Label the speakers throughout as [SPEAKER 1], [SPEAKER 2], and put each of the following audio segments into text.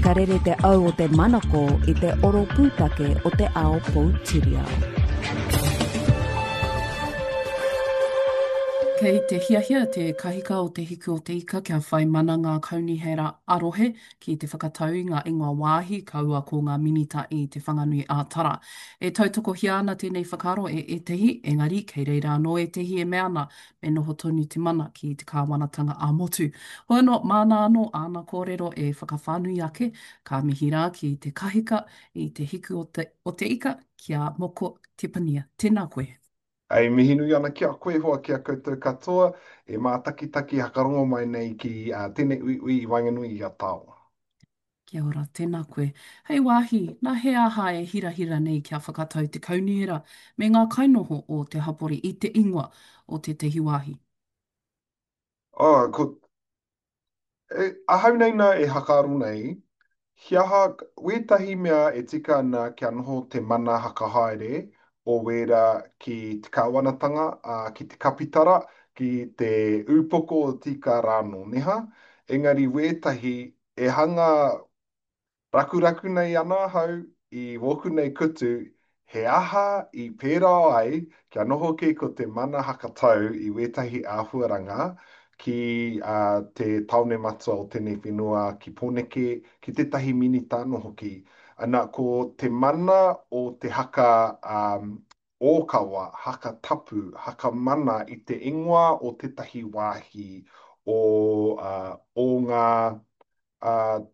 [SPEAKER 1] Ka rere te au o te manako i te oro pūtake o te ao poutiriao.
[SPEAKER 2] Kei te hiahia te kahika o Te Hiku o Te Ika kia whai mana ngā kaunihera ā-rohe ki te whakatau i ngā ingoa wāhi kaua ko ngā minita i Te Whanganui ā-Tara. E tautokohia ana tēnei whakaaro e ētehi, engari kei reira anō ētehi e mea ana me noho tonu te mana ki te kāwanatanga ā-motu. Hoi anō, māna anō āna kōrero e whakawhānui ake, ka mihi rā ki te kahika i te hiku o te, o te ika, ki a Moko Tepania. Tēnā koe.
[SPEAKER 3] E mihi nui ana ki a koe hoa, ki a koutou katoa e mātakitaki hakarongo mai nei ki tēnei uiui i waenganui i a Taoa.
[SPEAKER 2] Kia ora, tēnā koe. Hei wāhi, nā he aha e hirahira nei kia whakatau te kaunihera me ngā kainoho o te hapori i te ingoa o tētahi wāhi?
[SPEAKER 3] Oh, ko, e, ahau nei nā e hakaaro nei, he aha wētahi mea e tika ana kia noho te mana hakahaere o wērā ki te kāwanatanga, ā, ki te kapitara, ki te ūpoko o tika rānō, neha? Engari wētahi E hanga rakuraku nei ana ahau i wōku nei kutu, he aha i pērā ai kia noho kē ko te mana hakatau i wētahi āhuaranga ki te tāone matua o tēnei whenua, ki Pōneke, ki tētahi minita anō hoki. Ana, ko te mana o te haka ōkawa, haka tapu, haka mana i te ingoa o tētahi wāhi o, o ngā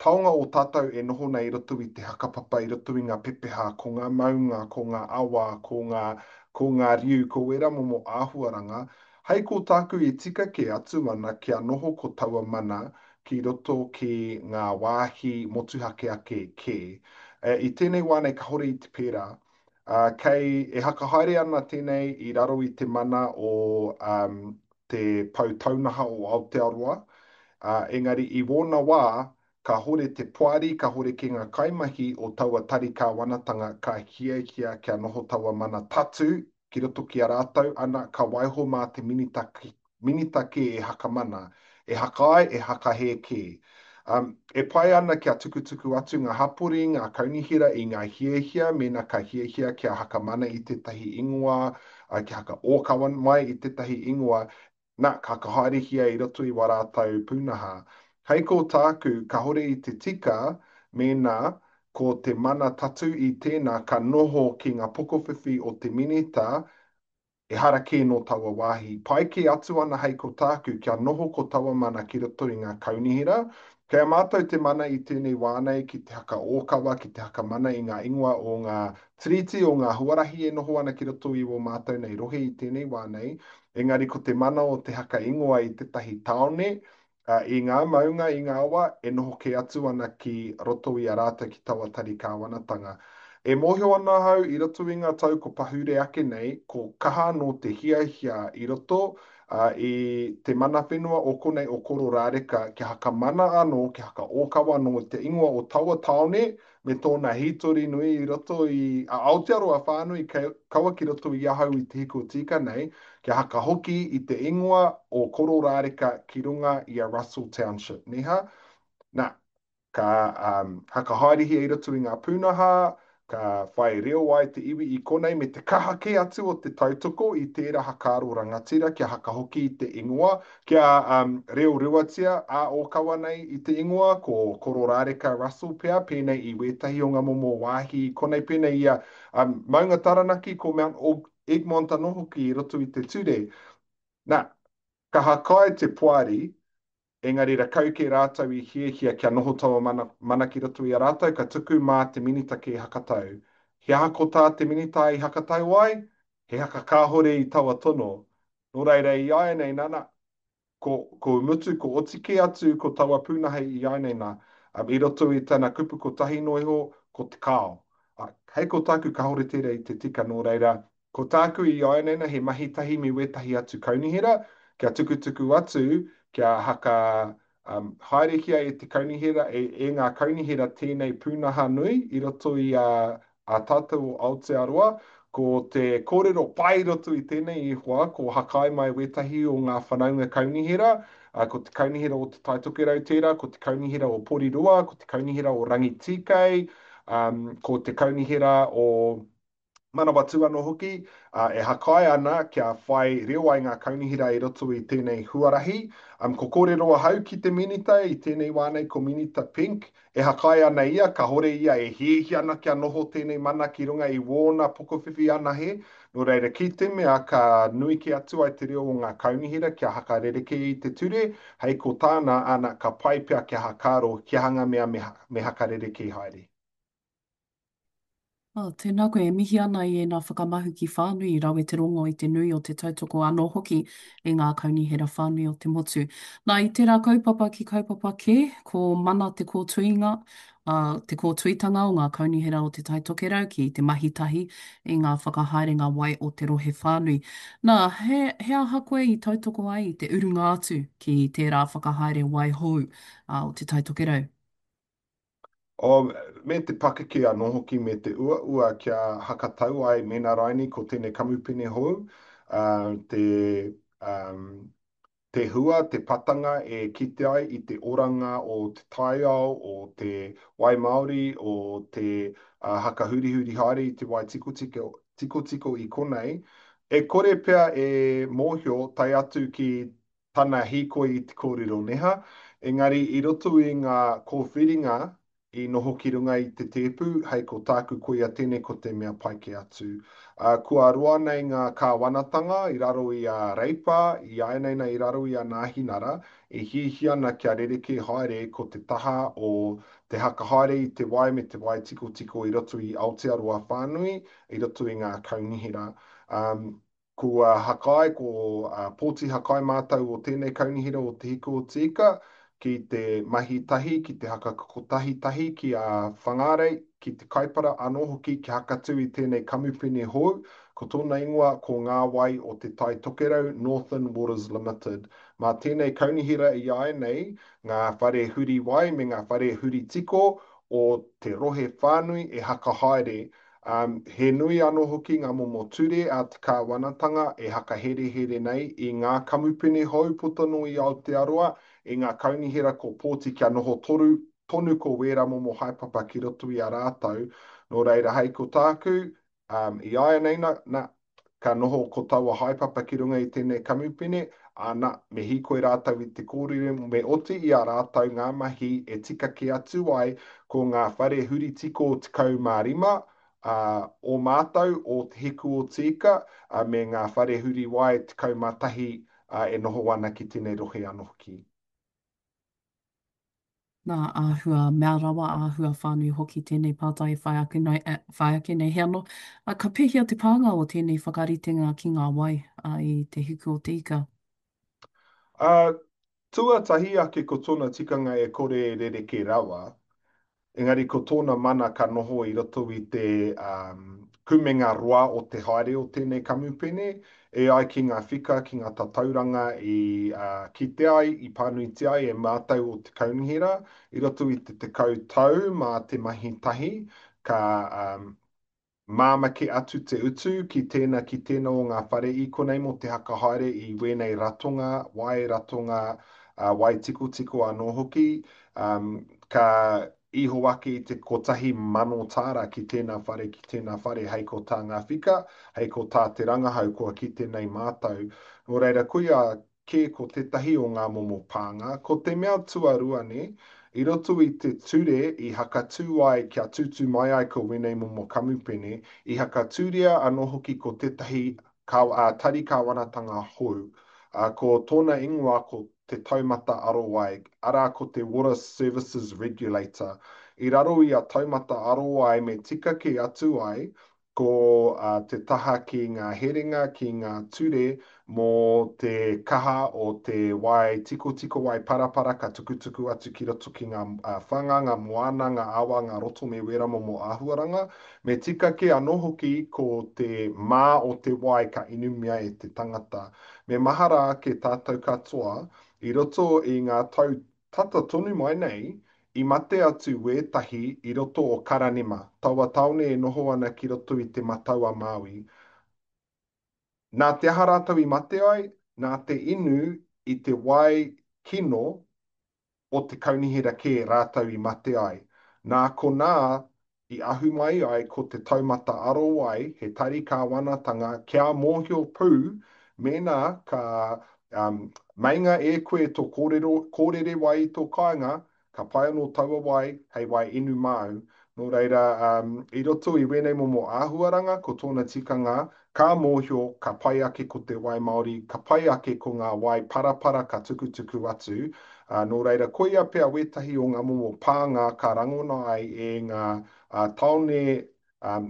[SPEAKER 3] taonga o tātou e noho nei i roto i te hakapapa, i roto i ngā pepeha, ko ngā maunga, ko ngā awa, ko ngā, ko ngā riu, ko wērā momo āhuaranga. Hei ko tāku e tika kē atu ana kia noho ko taua mana ki roto ki ngā wāhi motuhake ake kē. I tēnei wā nei kahore i te pērā. Ā, kei, e hakahaere ana tēnei i raro i te mana o um, te Pou Taunaha o Aotearoa, ā, engari i wōna wā, kāhore te poari, kāhore kē ngā kaimahi o taua tari kāwanatanga ka hiahia kia noho taua mana tatū ki roto ki a rātou, ana, ka waiho mā te minita, minita kē e hakamana, e hakaae, e hakahē kē. Um, e pai ana kia tukutuku atu ngā hapori, ngā kaunihera i ngā hiahia, mēnā ka hiahia kia hakamana i tētahi ingoa, uh, kia hakaōkawa mai i tētahi ingoa, nā, ka whakahaerehia i roto i wā rātou pūnaha. Hei ko tāku, kāore i te tika mēnā ko te mana tatū i tēnā ka noho ki ngā pokowhiwhi o te Minita, ehara kē nō taua wāhi. Pai kē atu ana hei ko tāku kia noho ko taua mana ki roto i ngā kaunihera. Kei a mātou te mana i tēnei wā nei ki te hakaōkawa, ki te hakamana i ngā ingoa o ngā tiriti, o ngā huarahi e noho ana ki roto i wō mātou nei rohe i tēnei wā nei. Engari ko te mana o te haka ingoa i tētahi tāone, ā, i ngā maunga, i ngā awa, e noho kē atu ana ki roto i a rātou ki taua tari kāwanatanga. E mōhio ana ahau i roto i ngā tau ko pahure ake nei, ko kaha anō te hiahia i roto, ā, i te mana whenua o konei o Kororāreka kia hakamana anō, kia hakaōkawa anō i te ingoa o taua tāone, me tōna hītori nui i roto i a Aotearoa whānui, kaua ki roto i ahau i te hiko tika nei, kia hakahoki i te ingoa o Kororāreka ki runga i a Russell Township, neha? Na, ka um, hakahaerehia i roto i ngā pūnaha, ka whai reo ai te iwi i konei me te kaha kē atu o te tautoko i tērā hakaaro rangatira kia hakahoki i te ingoa, Kia um, reo ruatia ā-ōkawa nei i te ingoa, ko Kororāreka Russell pea, pēnei i wētahi o ngā momo wāhi i konei, pēnei i a um, Maunga Taranaki, ko Mount Egmont anō hoki i roto i te ture. Nā, ka hakae te poari, engari rakau kē rātou i hiahia kia noho taua mana, mana ki roto i a rātou, ka tuku mā te minita kē hakatau. He aha ko tā te minita i hakatau ai? He haka kāhore i taua tono. Nō reira, i āianei nā, nā, ko, ko mutu, ko oti kē atu ko taua pūnaha i āianei nā, um, i roto i tana kupu kotahi noa iho, ko te kāo. Uh, hei ko tāku kāore tērā i te tika, nō reira, ko tāku i āianei nā, he mahi tahi me wētahi atu kaunihera, kia tukutuku atu, kia haka um, haerehia e te kaunihera, e, e ngā kaunihera tēnei pūnaha nui i roto i a, a tātou o Aotearoa, Ko te kōrero pai i roto i tēnei i hoa, ko Hakai mai wētahi o ngā whanaunga kaunihera, ko te kaunihera o Te Tai Tokerau tērā, ko te kaunihera o Porirua, ko te kaunihera o Rangitīkei, ko te kaunihera o Manawatū anō hoki, e hakai ana kia whai reo ai ngā kaunihera i roto i tēnei huarahi. Ko kōrero ahau ki te Minita i tēnei wā nei, ko Minita Pink, e hakai ana ia, kahore ia e hiahia ana kia noho tēnei mana ki runga i wōna pokowhiwhi anahe, nō reira ki te mea ka nui kē atu ai te reo o ngā kaunihera kia hakarerekē i te ture, hei ko tāna, ana, ka pai pea kia hakaaro kia hanga mea me hakarerekē haere.
[SPEAKER 2] Oh, tēnā koe, e mihi ana i ēnā whakamahuki whānui i rawe te rongo i te nui o te tautoko anō hoki e ngā kaunihera whānui o te motu. Nā, i tērā kaupapa ki kaupapa kē, ko mana te kōtuinga, ā, te kōtuitanga o ngā kaunihera o Te Tai Tokerau ki te mahi tahi i ngā whakahaerenga wai o te rohe whānui. Nā, he, he aha koe i tautoko ai i te urunga atu ki tērā whakahaere wai hou, ā, o Te Tai Tokerau?
[SPEAKER 3] Oh, me te pakeke anō hoki me te uaua kia hakatau ai mēnā raini ko tēnei kamupene hou, te, um, te hua, te patanga e kite ai i te oranga o te taiao, o te wai māori, o te uh, hakahurihuri haere i te wai tikotiko, tikotiko i konei, e kore pea e mōhio tae atu ki tana hīkoi i te kōrero neha, engari i roto i ngā kōwhiringa i noho ki runga i te tēpu, hei ko tāku koia tēnei ko te mea pai kē atu. Ā, kua roa nei ngā kāwanatanga i raro i a Reipa, i āianei nei i raro i a Nāhinara, e hiahia ana kia rerekē haere ko te taha o te hakahaere i te wai me te wai tikotiko i roto i Aotearoa whānui, i roto i ngā kaunihera. Ā, Kua hakai, ko pōti hakai mātou o tēnei kaunihera o Te Hiku o Te Ika ki te mahi tahi, ki te haka kotahi tahi ki a Whangārei, ki te Kaipara anō hoki kia hakatū i tēnei kamupene hou, ko tōna ingoa ko Ngā Wai o Te Tai Tokerau, Northern Waters Limited. Mā tēnei kaunihera i āianei ngā whare huri wai me ngā whare huri tiko o te rohe whānui e hakahaere Ā, he nui anō hoki ngā momo ture a te kāwanatanga e hakaherehere nei i ngā kamupene hou puta noa i Aotearoa, i ngā kaunihera ko pōti kia noho toru tonu ko wērā momo haepapa ki roto i a rātou. Nō reira, hei ko tāku, ā, i āianei na, na, ka noho ko taua haepapa ki runga i tēnei kamupene, ā, na, me hīkoi rātou i te kōrero, me oti i a rātou ngā mahi e tika kē atu ai ko ngā whare huri tiko 15, ā, o mātou, o Te Hiku o Te Ika, ā, me ngā whare huri wai 11, ā, e noho ana ki tēnei rohe anō hoki.
[SPEAKER 2] Nā, āhua mea rawa, āhua whānui hoki tēnei pātai e whai ake nei, e whai ake nei. He anō, ā, ka pēhea te pānga o tēnei whakaritenga ki ngā wai, ā, i te hiku o te ika?
[SPEAKER 3] Ā, tuatahi ake ko tōna tikanga e kore e rerekē rawa, Engari ko tōna mana ka noho i roto i te kumenga roa o te haere o tēnei kamupene, e ai ki ngā whika, ki ngā tatauranga i kite ai, i pānuitia ai e mātou o te kaunihera i roto i te 10 tau mā te mahi tahi ka Māmā kē atu te utu ki tēnā ki tēnā o ngā whare i konei mō te hakahaere i wēnei ratonga wai, ratonga wai tikotiko anō hoki, ka iho ake i te 1,000 tāra ki tēnā whare ki tēnā whare hei ko tā ngā whika, hei ko tā te rangahau kua kite nei mātou. Nō reira, koia kē ko tētahi o ngā momo pānga. Ko te mea tuarua nē, i roto i te ture i hakatū ai kia tūtū mai ai ko wēnei momo kamupene, i hakatūria anō hoki ko tētahi tari kāwanatanga hou, ā, ko tōna ingoa ko Te Taumata Arowai, arā ko te Water Services Regulator. I raro i a Taumata Arowai me tika kē atu ai Ko te taha ki ngā herenga, ki ngā ture mō te kaha o te wai tikotiko, wai parapara ka tukutuku atu ki roto ki ngā whanga, ngā moana, ngā awa, ngā roto me wērā momo āhuaranga. Me tika kē anō hoki ko te mā o te wai ka inumia e te tangata. Me mahara ake tātou katoa, i roto i ngā tau tata tonu mai nei, I mate atu wētahi i roto o Karanema, taua tāone e noho ana ki roto i Te Matau-a-Māui. Nā te aha rātou i mate ai? Nā te inu i te wai kino o te kaunihera kē rātou i mate ai. Nā konā i ahu mai ai ko te taumata arowai he tari kāwanatanga kia mōhio pū mēnā ka um, meinga e koe tō kōrero, kōrere wai i tō kāinga, ka pai anō taua wai hei wai inu māu. Nō reira, um, i roto i wēnei momo āhuaranga, ko tōna tikanga, ka mōhio, ka pai ake ko te wai Māori, ka pai ake ko ngā wai parapara ka tukutuku atu, Ā, nō reira, koia pea wētahi o ngā momo pānga ka rangona ai e ngā tāone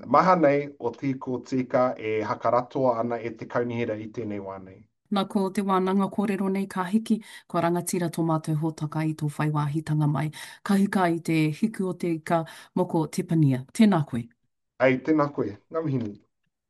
[SPEAKER 3] maha nei o Tīkōtīka e hakaratoa ana e te kaunihera i tēnei wā nei.
[SPEAKER 2] Na ko te wānanga kōrero nei ka hiki, kua rangatira tō mātou hōtaka i tō whai wāhitanga mai. Ka hika i te hiku o te ika, moko Tepania. Tēnā koe.
[SPEAKER 3] Ei, tēnā koe. Ngā mihi nui.